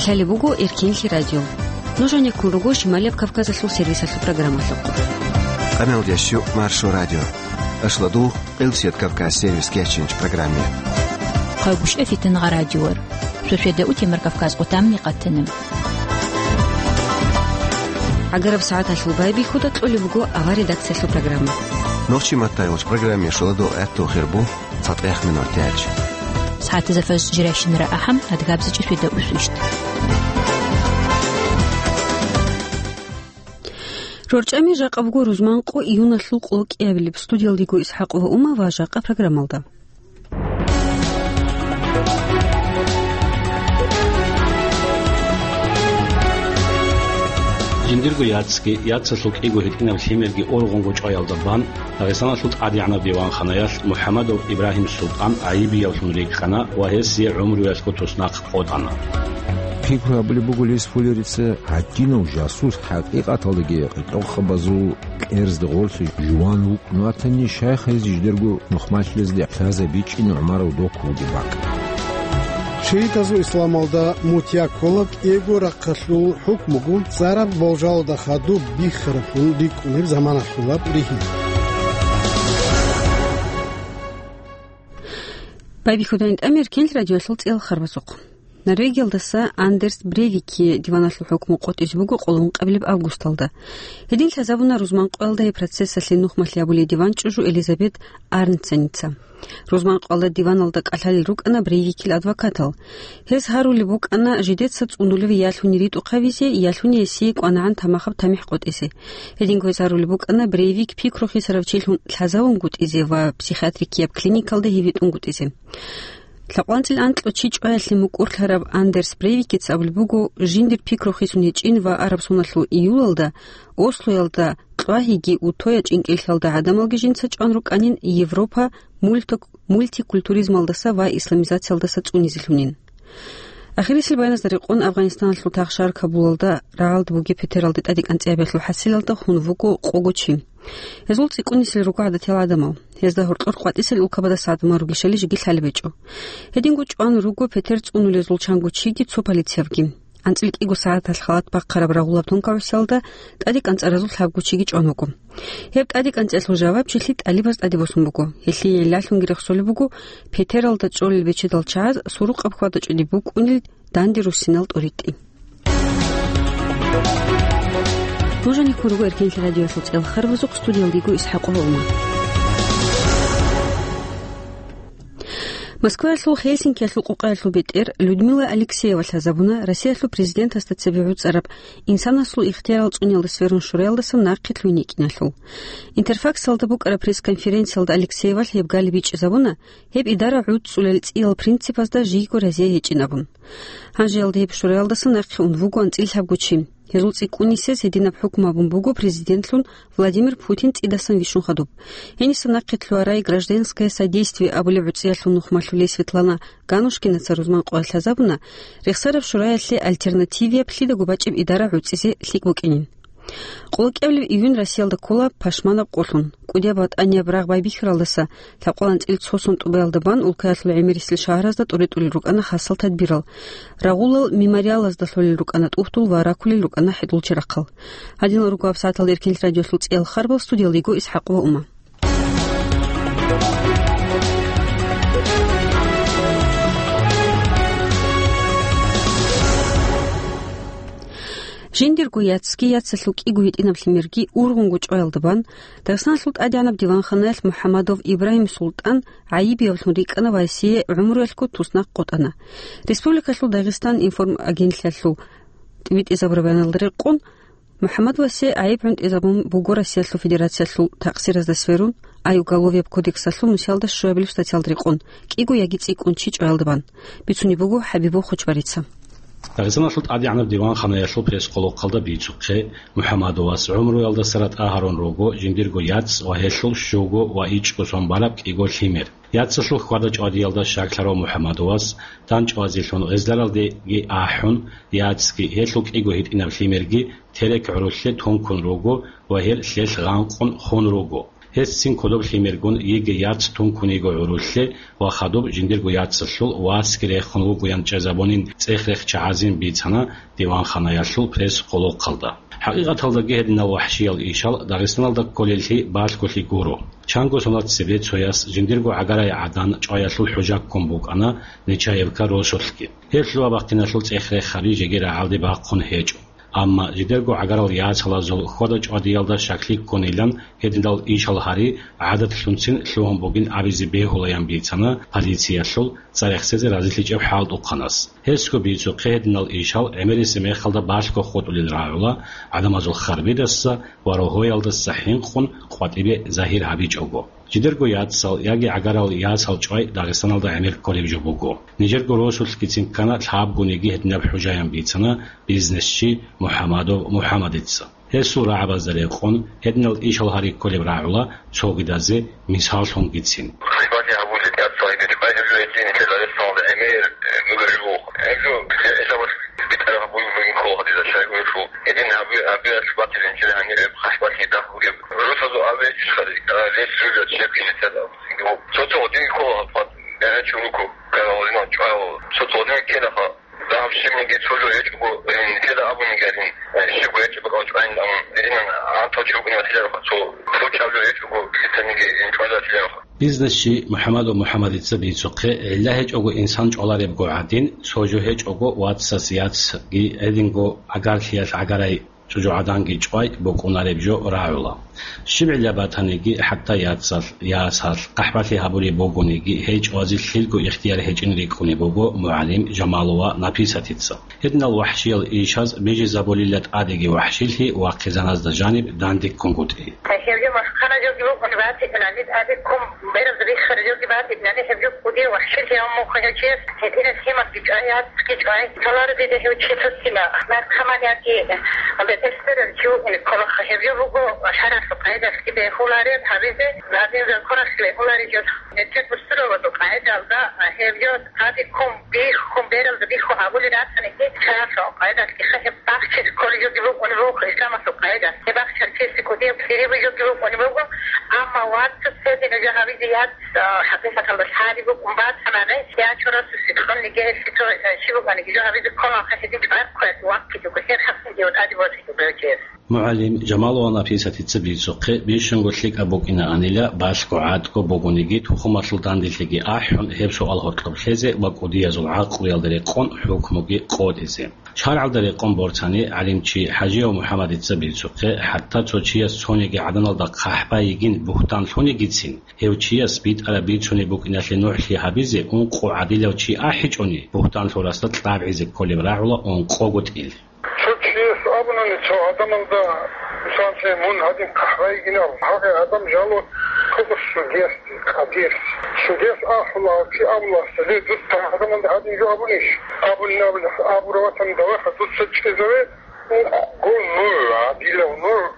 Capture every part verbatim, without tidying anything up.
Лъалеб буго Эркенлъи радио. Нуж гьанеккун руго Шималияб Кавказалъул сервисалъул программалъухъ. Къамелдеш щу Маршо радио. Ашладу, Къилсият Кавказ сервис кечинч программе. Хъагушев Фитнагъа радиор. Шошеда утемар Кавказ къутамни къаттана. ГӀагараб сагӀаталъул байбихьуда кьолеб буго авар редакциялъул программа. Нохчи маттайгъуч программе шуладу гӀатту хирбу. ЦатӀехъ минут тяч. СагӀатазда фаз жирайщинара ахӀам, адгабзичӀи шведа усвищ. РорчӀами жакъа буго рузманкъо июналъул къоло кӀиабилеб. Студиялдего ИсхӀакъ ва Ума ва жакъа программалда. Жиндирго яцги, яцалъул кӀиго гьитӀинаб лъимерги ургъунго чӀваялда бан, Дагъистаналъул тӀадегӀанаб диванханаялъ МухӀаммадов Ибрагьим Султан гӀайибиявлъун рикӀкӀана ва гьесие гӀумруялъго туснахъ къотӀана. Пикру гьабулеб буго Лесфулерица, гьадинав жасус хӀакъикъаталдаги къитӀухъабазул кьерзда гъорлъе жуван вукӀун ватани, шайх гьез жидерго нухмалъилазде лъазабичӀин ГӀумаров док вугеб бакӀ. Шиитазул исламалда мутя ккола кӀиго рахъалъул хӀукмугун цӀараб болжалда хадуб биххараблъун рикӀкӀунеб заманалъулаб ригьин. Байбихьудайин тӀамир кел радиоялъул цӀиялхарбазухъ. Норвегиялдаса Андерс Брейвикие диваналъул хӀукму къотӀизе буго къоло ункъабилеб августалда. Гьедин лъазабуна рузманкъоялда гьеб процессалъе нухмалъи абулей диван чӀужу Элизабет Арнценица. Рузманкъоялда диваналда кӀалъалел рукӀана Брейвикил адвокатал. Гьез гьарулеб букӀана жидеца цӀунулев ялъуни ритӀухъ гьавизе, ялъуни гьесие кӀванагӀан тамахаб тамихӀ къотӀизе. Гьединго гьез гьарулеб букӀана Брейвик пикру хисарав чилъун лъазавунгутӀизе ва психиатрикияб клиникалда гьевитӀунгутӀизе. ЛъакъванцӀил анкьго чи чӀваялъе мукӀурлъараб Андерс Брейвикица абулеб буго, жиндир пикру хисун гьечӀин ва араб соналъул июлалда Ослоялда кьвагьиги Утоя чӀинкӀиллъалда гӀадамалги жинца чӀван рукӀанин Европа мульти-, мультикультуризмалдаса ва исламизациялдаса цӀунизелъунин. Ахирисел баяназда рекъон Афганистаналъул тахшар Кабулалда рагӀалда бугеб Петералде тӀадекӀанцӀиябиялъул хӀасилалда хун вуго къого чи. Гьезул цӀикӀкӀунисел руго гӀадатиял гӀадамал. Гьезда гьоркьор къватӀисел улкабадаса гӀадамал ругищали жеги лъалеб гьечӀо. Гьединго чӀван руго Петер цӀунулезул чанго чиги цо полициябги. АнцӀил кӀиго сагӀаталъ халат бахъараб рагъулаб тункаусиялда тӀадекӀанцӀаразул лъабго чиги чӀван вуго. Гьеб тӀадекӀанцӀиялъул жавабчилъи тӀалибаз тӀаде босун буго. Гьелъие ялъунги рехсолеб буго Петералда чӀолел бечедал чагӀаз сурукъаб хьвада-чӀвади букӀунел данде руссинал тӀуритӀи. Нуж гьанеккун руго Эркенлъи радиоялъул цӀиялхарбазухъ, студиялдего ИсхӀакъ ва Ума. Москваялъул Хельсинкиялъул къукъаялъул бетӀер Людмила Алексеева лъазабуна Россиялъул президентасда цебе гӀуцӀараб инсанасул ихтиярал цӀуниялда сверун шураялдаса нахъе лъугьин йикӀиналъул. Интерфаксалда букӀараб пресс-конференциялда Алексеевалъ гьеб галиб бичӀчӀизабуна, гьеб идара гӀуцӀцӀулел цӀиял принципазда жийго разие гьечӀин абун. Гьанжеялда гьеб шураялдаса нахъе ун вуго анцӀила лъабго чи. Гьезул цӀикӀкӀунисез гьединаб хӀукму абун буго президентлъун Владимир Путин цӀидасан вищун хадуб. Гьениса нахъе лъугьарай «Гражданское содействие» абулеб гӀуцӀиялъул нухмалъулей Светлана Ганушкинаца рузман къоялъ лъазабуна, Рехсараб шураялъе альтернативияб лъидаго бачӀеб идара гӀуцӀизе лъикӀ букӀинин. Къоло кӀиабилеб июнь Россиялда ккола пашманаб къолъун. КӀудияб ватӀанияб рагъ байбихьаралдаса лъабкъоялда анцӀила цо сон тӀубаялда бан улкаялъул гӀемерисел шагьаразда тӀуритӀулел рукӀана хасал тадбирал. Рагъулал мемориалазда лъолел рукӀана тӀухьдул ва ракулел рукӀана хӀетӀул черахъал. Гьадинал руго гьабсагӀаталда Эркенлъи радиоялъул цӀиялхарбал, студиялда йиго ИсхӀакъ ва Ума. Жиндирго яцги яцалъул кӀиго гьитӀинаб лъимерги ургъунго чӀваялда бан, Дагъистаналъул тӀадегӀанаб диванханаялъ МухӀаммадов Ибрагьим Султан гӀайибиявлъун рикӀкӀана ва гьесие гӀумруялъго туснахъ къотӀана. Республикалъул Дагъистан информагентлъиялъул тӀибитӀизабураб баяналда рекъон, МухӀаммадовасе гӀайиб гӀунтӀизабун буго Россиялъул Федерациялъул такъсиразда сверун, ай уголовияб кодексалъул нусиялда щуабилеб статьялда рекъон, кӀиго яги цӀикӀкӀун чи чӀваялда бан. Бицунеб буго ХӀабибов Хочбарица. Дагъистаналъул тӀадегӀанаб диванханаялъул пресс-къолохъалда бицухъе, МухӀаммадовас гӀумруялдаса ратӀа гьарун руго жиндирго яц ва гьелъул щуго ва ичӀго сон бараб кӀиго лъимер. Яцалъул хьвада-чӀвадиялда щаклъарав МухӀаммадовас, дандчӀвазелъун гъезларалдеги ахӀун, яцги, гьелъул кӀиго гьитӀинаб лъимерги терек гӀурулъе тункун руго ва гьел лъелъ гъанкъун хун руго. Гьес цин кодоб лъимергун йиги яц тункун йиго гӀурулъе ва хадуб жиндирго яцалъул васги рехун вугоян чӀезабунин цӀех-рехчи гӀазин бицана диванханаялъул пресс-къулухъалда. ХӀакъикъаталдаги гьединал вахӀшиял ишал Дагъистаналда кколеллъи балъголъи гуро. Чанго соналъ цебе цояс жиндирго гӀагарай гӀадан чӀваялъул хӀужа ккун букӀана Нечаевка росулъги. Гьеб лъугьа-бахъиналъул цӀех-рехаби жеги рагӀалде бахъун гьечӀо. Амма жидерго гӀагарал яцалазул хьвада-чӀвадиялда щаклъи ккунилан гьединал ишал гьари гӀадатлъунцин лъугьун бугин абизе бегьулаян бицана полициялъул цӀарахсезе разилъичӀеб хӀалтӀухъанас. Гьесго бицухъе гьединал ишал гӀемерисеб мехалда балъго хутӀулел рагӀула гӀадамазул харбидаса ва рогьоялдаса хӀинкъун къватӀибе загьир гьабичӀого. Жидерго яцал яги гӀагарал ясал чӀвай Дагъистаналда гӀемер кколеб жо буго. Нижерго росулъгицин ккана лъабгониги гьединаб хӀужаян бицана бизнесчи МухӀамадов МухӀамадица. Гьесул рагӀабазда рекъон, гьединал ишал гьари кколеб рагӀула цогидазе мисаллъунгицин. Хъибатни гьабулеб яцал гьеб чӀвай гьеб жо гьедин нилъер Дагъистаналда гӀемер, э, бугеб жо. Гьеб жо гӀелабаз битӀараб гьабулеб бугин ккола гьадизда щайгурелъул. Гьедин гьаби-, гьабиялъ батилин чӀезегӀан гьеб хъахӀбалъи дагь бугеб. Росазул абе иш хадур, а, лес жужа чияхъин нилъеда. Цо-цо гьадин ккола гьаб хъван. ГӀе, чӀулуго, ккарал гьадинал чӀваял цо-цо гьадин ккелаха. Дагьаб щибниги цо жо гьечӀого, э, нилъеда абуниги гьадин, э, щибго гьечӀеб бакӀал чӀвайин, амма гьединан гьантал чи вукӀине батилароха, цо, цо чӀаб жо гьечӀого, лъицаниги гьин чӀвалев батилароха. Бизнесчи МухӀамадов МухӀамадица бицухъе, гӀилла гьечӀого инсан чӀваларебго гӀадин, цо жо гьечӀого вацас яцги гьединго гӀагарлъиялъ гӀагарай чӀужугӀаданги чӀвай букӀунареб жо рагӀула. Щиб гӀилла батаниги, хӀатта яцалъ, ясалъ, хъахӀбалъи гьабулеб бугониги, гьей чӀвазе лъилго ихтияр гьечӀин рикӀкӀунеб буго мугӀалим Жамалова Написатица. Гьединал вахӀшиял ишаз бижизабулила тӀадеги вахӀшилъи вахъизаназда жаниб дандеккунгутӀи. Гьеб жо масхара жоги букӀун батилани, тӀаде ккун бераз риххара жоги батилани, гьеб жо кӀудияв вахӀшилъи гьав мухъа гьечӀес, гьединаб лъималги чӀвай, яцги чӀвай, цаларо дида гьев чи лъуцила, наркоманиялги бетӀерсерав чи вукӀине кколаха. Гьеб жо буго шаргӀалъул къагӀидалъги бегьулареб гьабизе, гьадин законалъ бегьулареб жо. Нече бусурабазул къагӀидалда гьеб жо тӀаде ккун биххун, бералда биххун гьабулел ратаниги, шаргӀалъул къагӀидалъги ха гьеб бахчизе кколеб жоги букӀунеб буго, исламалъул къагӀидалъ. Гьеб бахчарчиясе кӀудияб лъирияб жоги букӀунеб буго, амма вацас гьединаб жо гьабизе яц, а, хӀакъикъаталда лъари букӀун батанани, я чорасусе кьунниги гьелъи цо, э, щиб букӀаниги жо гьабизе кколаха, гьедин чӀвай кквезе ваккизе вуго, гьеб хӀакъиги тӀаде босизе буго гьев. МугӀалим Жамалова Написатица бицухъе, бищунго лъикӀаб букӀинаанила, балъго гӀатӀго бугониги, тухумалъул данделъиги ахӀун, гьеб суал гьоркьоб лъезе ва кӀудиязул гӀакълуялда рекъон хӀукмуги къотӀизе. ШаргӀалда рекъон борцани, гӀалимчи ХӀажияв МухӀамадица бицухъе, хӀатта цо чияс цониги гӀаданалда хъахӀба йигин бугьтан лъунигицин, гьев чияс битӀараб бицунеб букӀиналъе нугӀлъи гьабизе ункъо гӀадилав чи ахӀичӀони, бугьтан лъурасда кьабгӀизе кколеб рагӀула ункъого тӀил. Цо чияс абунани цо гӀадамалда, мисаллъе, мун гьадин хъахӀба йигин абун, гьагъай гӀадам жало кодоб судиясде, къадиясде. Судияс ахӀула, чи абула, ле, дуца гӀадамалда гьадин жо абунищ? Абуни абула, абураб ватани даваха, дуца чӀезаве, ункъго нугӀ, гӀадилав нугӀ,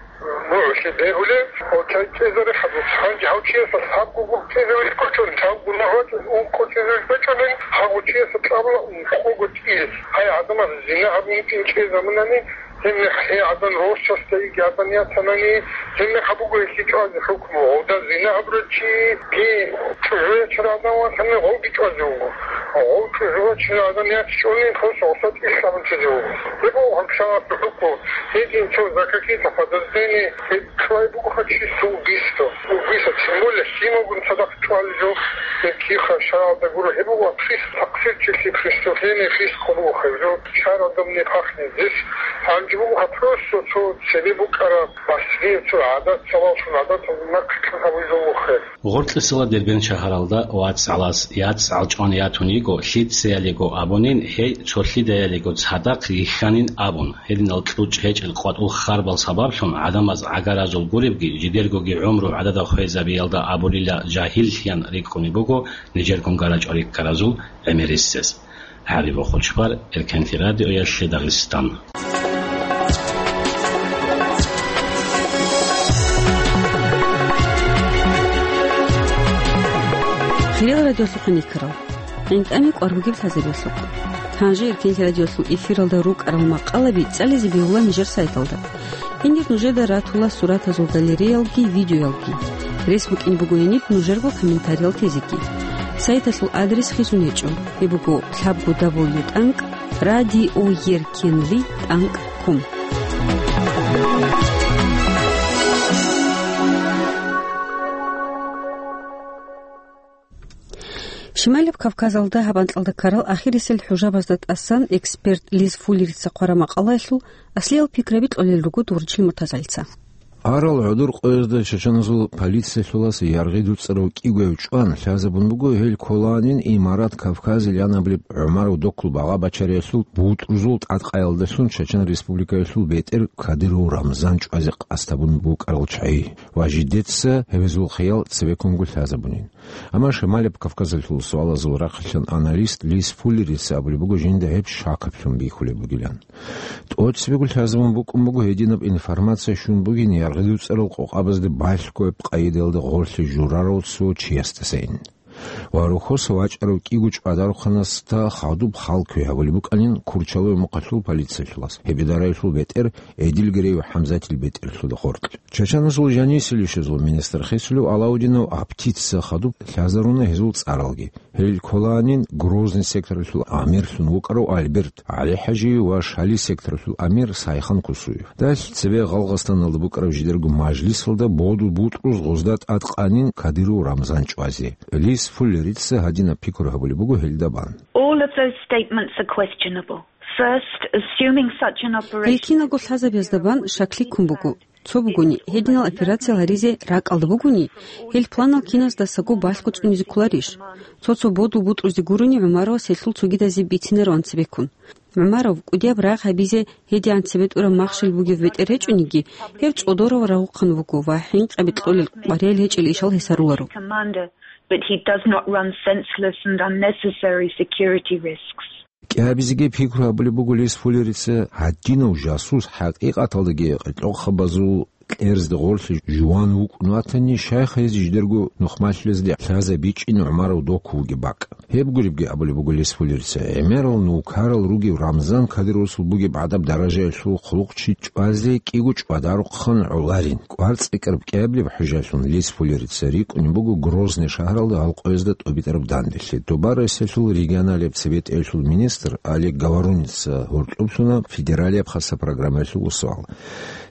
нугӀлъи бегьулев, ва чай чӀезаре хадуц. Гьанже гьав чиясда лъабго гур чӀезавилъ кочӀун, лъабго нугӀ вачӀун, ункъо чӀезавилъ кочӀунин, гьав чиясда кьабула ункъого тӀил. Гьай гӀадамаз зина гьабун вукӀин чӀезабунани, гьебмехалъ гьей гӀадан росасда йиги гӀадан ятанани, гьебмехалъ буго гьелъие чӀвазе хӀукму. Гъовда зина гьабурав чиги чӀужу ячарав гӀадан ватани, гъовги чӀвазе вуго. Гъов чӀужу вачарав гӀадан ячичӀони, гъос гъоса тӀил абунчизе вуго. Гьеб буго гьаб шаргӀалъул хӀукму. Гьедин цо за какие-то подозрения, гьеб чӀвай бугоха чиясда убийство. Убийство, тем более лъималгун цадахъ чӀвалеб жо, гьеб киха шаргӀалда гуро. Гьеб буго прес-, такъсирчилъи, преступление, фиск буго гьеб жо. ШаргӀалда мунагьахъе здесь гьанже буго просто цо цебе букӀараб, басрияб цо гӀадат, цалалъун гӀадатал нахъе кьун гьабулеб жо буго гьеб. Гъоркьисалда Дербент шагьаралда вацгӀалас яцгӀал чӀван ятун йиго, лъицаялиго абунин, гьей цолъидаялиго цадахъ йихьанин абун. Гьединал кьучӀ гьечӀел къватӀул харбал сабаблъун гӀадамаз гӀагаразул гуребги, жидергоги гӀумру гӀадада хвезабиялда абулила жагьиллъиян рикӀкӀунеб буго нижергун гарачӀо риккаразул гӀемерисез. ГӀариб Хучбар, Эркенлъи радиоялъе Дагъистан. Хириял радиолъухъ никарал. ГӀинтӀами кӀвар бугеб лъазабиялъухъ. Гьанже Эркенлъи радиолъул эфиралда рукӀарал макъалаби цӀализе бегьула нижер сайталда. Гьенир нужеда ратула суратазул галереялги, видеоялги. Рес букӀин буго гьениб нужерго комментариял тезеги. Сайталъул адрес хисун гьечӀо. Гьеб буго лъабго дабл ю тӀанкӀ радиоеркенлъи тӀанкӀ ком. Шималаб Кавказалда гьаб анкьалда ккарал ахирисел хӀужабазда тӀасан эксперт Лиз Фуллерица хъвараб макъалаялъул аслиял пикраби кьолел руго Дугъричил Муртазалица. Арал гӀодор къоязда чачаназул полициялъулас яргъи дуцӀарав кӀигояв чӀван лъазабун буго гьел кколанин Имарат Кавказил янабилеб ГӀумаров доккул багъа-бачариялъул бутӀрузул тӀадкъаялдалъун Чачан Республикаялъул бетӀер Кадыров Рамзан чӀвазе къасд гьабун букӀарал чагӀи ва жидеца гьеб гьезул хиял цебеккунго лъазабунин. Амма Шималаб Кавказалъул суалазул рахъалъан аналист Лиз Фуллерица абулеб буго жинда гьеб шакаблъун бихьулеб бугилан. ТӀоцебего лъазабун букӀун буго гьединаб информация щун бугин яргъи дуцӀарал къокъабазда балъгояб къайдаялда гъорлъе журарав цо чиясдасайин. Ва рухьоса вачӀарав кӀиго чӀвадарухъанасда хадуб хал кквей гьабулеб букӀанин Курчалой мухъалъул полициялъулас, гьеб идараялъул бетӀер Эдилгиреев ХӀамзатил бетӀерлъуда гъоркь. Чачаназул жанисел ишазул министр хисулев Алаудинов Аптица хадуб лъазаруна гьезул цӀаралги. Гьел кколанин Грозный секторалъул амирлъун вукӀарав Альберт ГӀалихӀажиев ва Шали секторалъул амир Сайхан Кусуев. Далъ цебе Гъалгъастаналда букӀараб жидерго мажлисалда боду бутӀрузда гъозда тӀадкъанин Кадыров Рамзан чӀвазе. Лиз Фуллерица гьадинаб пикру гьабулеб буго гьелда бан. All of those statements are questionable. First, assuming such an operation Гьел киналго лъазабиязда бан шаклъи ккун буго. Цо бугони, гьединал операциял гьаризе ракӀалда бугони, гьел планал киназдасаго балъго цӀунизе кколарищ? Цо-цо бодул бутӀрузде гурони ГӀумаровас гьелъул цогидазе бицинароан цебеккун. ГӀумаров кӀудияб рагъ гьабизе гьедигӀан цебетӀураб махщел бугев бетӀер гьечӀониги, гьев цӀодоравал рагъухъан вуго ва хӀинкъаби кьолел къвариял гьечӀел ишал гьесаруларо. Commander, but he does not run senseless and unnecessary security risks. КӀиабизеги пикру гьабулеб буго Лиз Фуллерица, гьадинав жасус хӀакъикъаталдаги къеркьохъабазул кьерзда гъорлъе жуван вукӀун ватани, щайха гьез жидерго нухмалъулезде лъазабичӀин ГӀумаров доккун вугеб бакӀ. Гьеб гуребги абулеб буго Лиз Фуллерица, гӀемерал нукарал ругев Рамзан Кадыровасул бугеб гӀадаб даражаялъул хъулухъчи чӀвазе кӀиго чӀвадарухъан гӀоларин. КӀварцӀикӀкӀараб кӀиабилеб хӀужалъун Лиз Фуллерица рикӀкӀунеб буго Грозный шагьаралда гьал къоязда тӀубитӀараб данделъи. Доба Россиялъул регионалияб цебетӀеялъул министр Олег Говоруница гьоркьоблъуна федералияб хасаб программаялъул суал.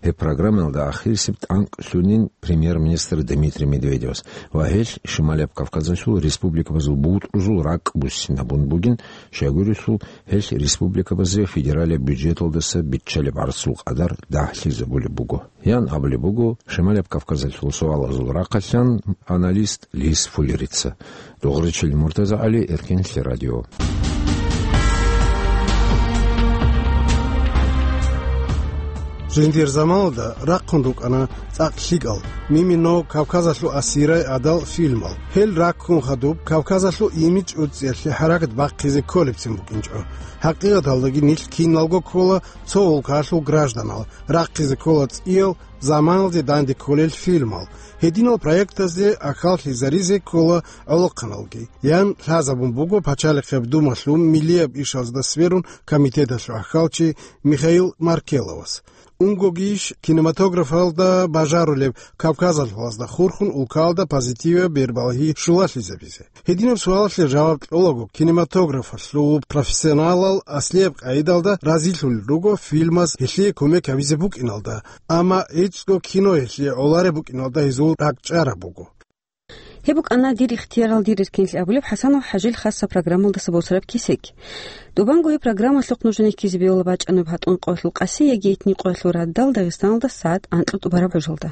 Гьеб программаялда ахирисеб тӀанкӀ лъунин премьер-министр Дмитрий Медведевас ва гьелъ Шималияб Кавказалъул республикабазул бутӀрузул ракӀ буссинабун бугин, щайгурелъул гьелъ республикабазе федералияб бюджеталдаса биччалеб гӀарцул къадар дагьлъизабулеб буго. Ян абулеб буго Шималияб Кавказалъул суалазул рахъалъан аналист Лиз Фуллерица. Дугъричил Муртазагьали, Эркенлъи радио. Жиндир заманалда рахъун рукӀана цӀакъ лъикӀал, мимино Кавказалъул асирай гӀадал фильмал. Гьел раккун хадуб Кавказалъул имидж уцӀцӀиялъе хӀаракат бахъизе кколебцин букӀинчӀо. ХӀакъикъаталдаги нилъ киналго ккола цо улкалъул гражданал, рахъизе ккола цӀиял заманалде данде кколел фильмал. Гьединал проектазде ахӀаллъизаризе ккола гӀолохъаналги, ян лъазабун буго Пачалихъеб Думалъул миллияб ишазда сверун комитеталъул ахӀалчи Михаил Маркеловас. Унгогищ кинематографалда бажарулеб Кавказалъулазда хурхун улкалда позитивияб бербалагьи щулалъизабизе? Гьединаб суалалъе жаваб кьолаго, кинематографалъул профессионалал аслияб къайдалда разилъулел руго фильмаз гьелъие кумек гьабизе букӀиналда, амма гӀицӀго кино гьелъие гӀолареб букӀиналда гьезул ракӀчӀараб буго. Гьеб букӀана «Дир ихтиярал, дир эркенлъи» абулеб ХӀасанов ХӀажил хасса программалдаса босараб кесек. Добанго гьеб программалъухъ нужее ккезе бегьула бачӀанаб гьатӀун къоялъул къаси яги этни къоялъул радал Дагъистаналда сагӀат анкьа тӀубараб гӀужалда.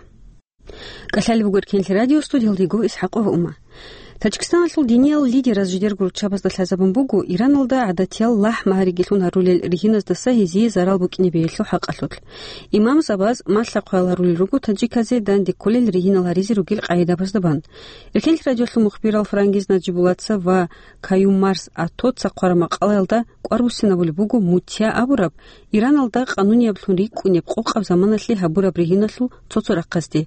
КӀалъалеб буго Эркенлъи радио, студиялда йиго ИсхӀакъова Ума. Таджикистаналъул диниял лидераз жидерго руччабазда лъазабун буго Ираналда гӀадатиял лахӀ-магьаригелъун гьарулел ригьиназдаса гьезие зарал букӀине бегьелъул хӀакъалъулъ. Имамзабаз малъа-хъваял гьарулел руго таджиказе данде кколел ригьинал гьаризе ругел къагӀидабазда бан. Эркенлъи радиолъул мухбирал Франгиз Наджибуллаца ва Каюм Марс Атоца хъвараб макъалаялда кӀвар буссинабулеб буго мутья абураб, Ираналда къанунияблъун рикӀкӀунеб къокъаб заманалъе гьабураб ригьиналъул цо-цо рахъазде.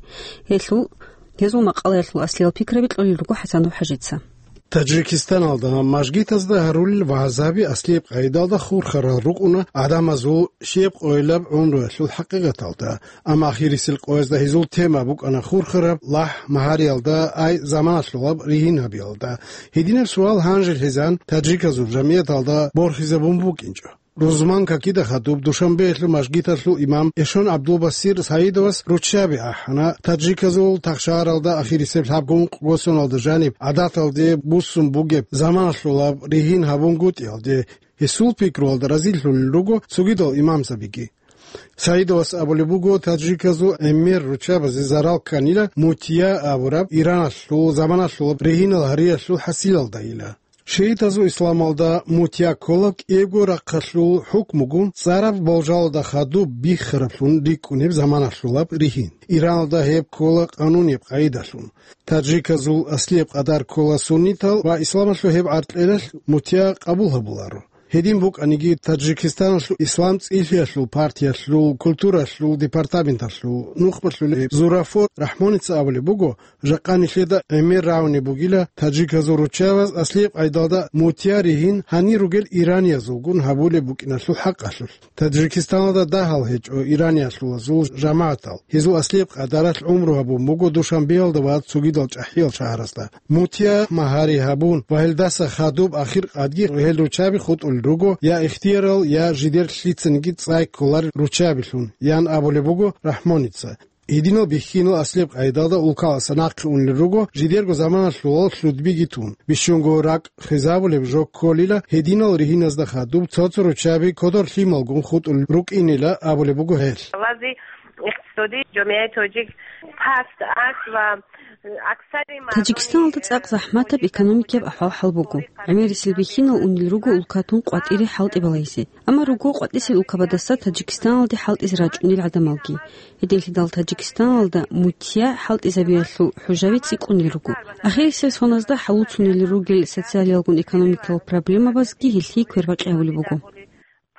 Гьелъул, гьезул макъалаялъул аслиял пикраби кьолел руго ХӀасанов ХӀажица. Таджикистаналда мажгитазда гьарулел вагӀзаби аслияб къайдалда хурхарал рукӀуна гӀадамазул щиб къойилаб гӀумруялъул хӀакъикъаталда, амма ахирисел къоязда гьезул тема букӀана хурхараб лахӀ магьариялда, ай заманалъулаб ригьин гьабиялда. Гьединаб суал гьанже лъезан таджиказул жамигӀаталда борхизабун букӀинчӀо. Рузман какида хадуб Душанбеялъул мажгиталъул имам Эшон ГӀабдулбасир Саидовас руччаби ахӀана, таджиказул тахшагьаралда ахирисеб лъабго ункъго соналда жаниб гӀадаталде буссун бугеб заманалъулаб ригьин гьабунгутӀиялде. Гьесул пикруялда разилъулел руго цогидал имамзабиги. Саидовас абулеб буго, таджиказул гӀемер руччабазе зарал кканила мутия абураб Ираналъул заманалъулаб ригьинал гьариялъул хӀасилалдайила. Шиитазул исламалда мутия ккола кӀиябго рахъалъул хӀукмугун цӀараб болжалда хадуб биххараблъун рикӀкӀунеб заманалъулаб ригьин. Ираналда гьеб ккола къанунеб къайдалъун. Таджиказул аслияб къадар ккола суннитал ва исламалъул гьеб гӀаркьелалъ мутия къабул гьабуларо. Гьедин букӀаниги, Таджикистаналъул ислам цӀилъиялъул партиялъул культуралъул департаменталъул нухмалъулеб Зурафо Рахмоница абулеб буго, жакъа нилъеда гӀемер рагӀунеб бугила таджиказул руччабаз аслияб къайдалда мутия ригьин гьанир ругел ираниязулгун гьабулеб букӀиналъул хӀакъалъулъ. Таджикистаналда дагьал гьечӀо ираниялъулазул жамагӀатал. Гьезул аслияб къадаралъ гӀумру гьабун буго Душанбеялда ва цогидал чӀахӀиял шагьаразда. Мутия магьари гьабун ва гьелдаса хадуб ахир къадги гьел руччаби хутӀулел руго я ихтиярал, я жидер лъицаниги цӀай кколарел руччабилъун, ян абулеб буго Рахмоница. Гьединал бихьинал аслияб къайдалда улкаласа нахъе унел руго, жидерго заманалъулал лъудбиги тун. Бищунго ракӀ хвезабулеб жо кколила гьединал ригьиназда хадуб цо-цо руччаби кодор лъималгун хутӀулел рукӀинила абулеб буго гьел. Вази иқтисоди жамият тоджик паст аст ва аксари мардуми Таджикистаналда цӀакъ захӀматаб экономикияб ахӀвал-хӀал буго. ГӀемерисел бихьинал унел руго улкатун къватӀире хӀалтӀи балайзе. Амма руго къватӀисел улкабадаса Таджикистаналде хӀалтӀизе рачӀунел гӀадамалги. Гьединлъидал Таджикистаналда мутия хӀалтӀизабиялъул хӀужаби цӀикӀкӀунел руго. Ахирисел соназда хӀалуцунел ругел социалиялгун экономикал проблемабазги гьелъие квербакъи гьабулеб буго.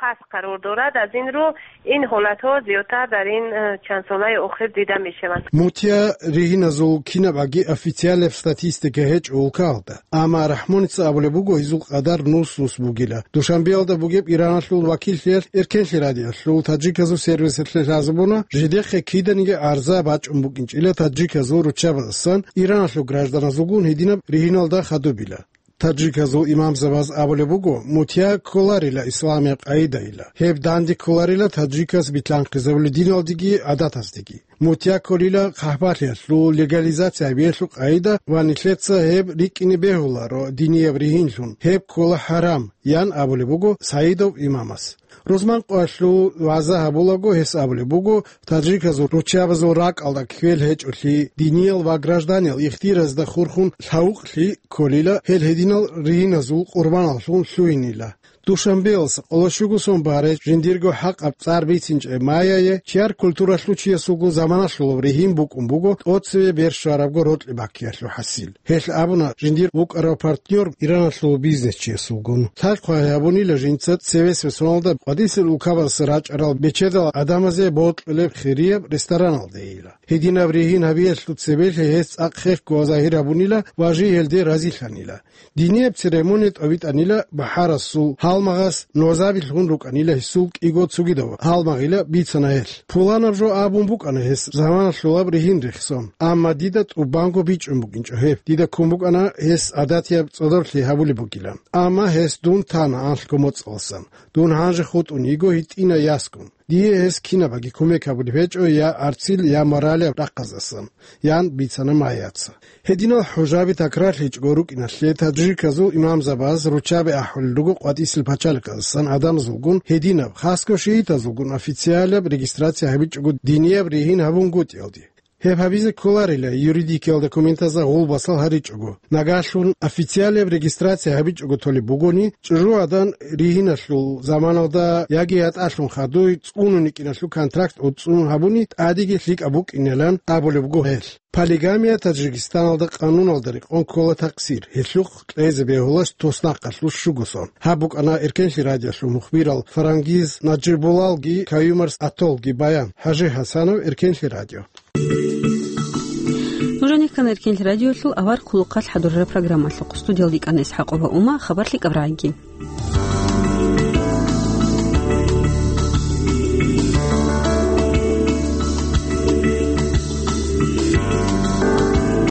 Пас къарор дорад, аз ин ру ин гьолато зиёта дар ин, э, чан солай охир дида мешеван. Мутия ригьиназул кинабаги официалаб статистика гьечӀо улкаялда. Амма Рахмоница абулеб буго гьезул къадар нус-нус бугила. Душанбеялда бугеб Ираналъул вакиллъиялъ Эркенлъи радиоялъул таджиказул сервисалъе лъазабуна, жидехъе киданиги гӀарза бачӀун букӀинчӀила таджиказул руччабазасан Ираналъул гражданазулгун гьединаб ригьиналда хадубила. Таджиказул имамзабаз абулеб буго, мутия кколарила исламияб къайдайила. Гьеб данде кколарила таджикас битлъанхъизабулел диналдеги гӀадатаздеги. Мутия кколила хъахӀбалъиялъул, легализация гьабиялъул къайда ва нилъеца гьеб рикӀкӀине бегьуларо динияб ригьинлъун, гьеб ккола хӀарам, ян абулеб буго Саидов имамас. Рузман къоялъул вагӀза гьабулаго гьес абулеб буго, таджиказул руччабазул ракӀалда кквел гьечӀолъи, диниял ва гражданиял ихтияразда хурхун лъавукълъи кколила, гьел гьединал ригьиназул къурбаналлъун лъугьинила. Душанбеялса къоло щуго сон барай жиндирго хӀакъаб цӀар бицинчӀеб Майяе чияр культуралъул чиясулго заманалъулаб ригьин букӀун буго тӀоцеве бер щварабго рокьи баккиялъул хӀасил. Гьелъ абуна, жиндир вукӀарав партнёр Ираналъул бизнесчиясулгун. Лъай-хъвай гьабунила жинца цевесеб соналда къватӀисел улкабаздаса рачӀарал бечедал гӀадамазе бокьулеб хирияб рестораналдейила. Гьединаб ригьин гьабиялъул цебелъи гьес цӀакъ хехго загьир гьабунила ва жий гьелде разилъанила. Динияб церемония тӀобитӀанила бахӀарасул гьалмагъас нозабилъун рукӀанила гьесул кӀиго цогидав гьалмагъила бицана гьелъ. Пуланаб жо абун букӀана гьес заманалъулаб ригьин рехсон, амма дида тӀубанго бичӀчӀун букӀинчӀо гьеб. Дида ккун букӀана гьес гӀадатияб цӀодорлъи гьабулеб бугилан. Амма гьес дун тана анлъго моцӀаласан. Дун гьанже хутӀун йиго гьитӀина ясгун. Дие гьес кинабаги кумек гьабулеб гьечӀо я гӀарцил, я моралияб рахъаздасан, ян бицана Майяца. Гьединал хӀужаби такрарлъичӀого рукӀиналъе таджиказул имамзабаз руччаби ахӀулел руго къватӀисел пачалихъаздасан гӀадамазулгун гьединаб, хасго шиитазулгун официалаб регистрация гьабичӀого динияб ригьин гьабунгутӀиялде. Гьеб гьабизе кколарила юридикиял документазда гъулбасал гьаричӀого. Нагагьлъун официалаб регистрация гьабичӀого толеб бугони, чӀужугӀадан ригьиналъул заманалда яги ятӀалъун хадуй цӀунун йикӀиналъул контракт гӀуцӀцӀун гьабуни тӀадеги лъикӀаб букӀинилан абулеб буго гьел. Полигамия Таджикистаналда къануналда рекъон ккола такъсир, гьелъухъ кьезе бегьулаш туснахъалъул щуго сон. Гьаб букӀана Эркенлъи радиолъул мухбирал Фарангиз Наджибулалги Каюмарс Атолги баян. ХӀажи ХӀасанов, Эркенлъи радио. Нуж гьаниб Эркенлъи радиолъул авар хъулухъалъ хӀадурараб программалъухъ студиялда йикӀана ИсхӀакъова Ума, хабар лъикӀаб рагӀиги.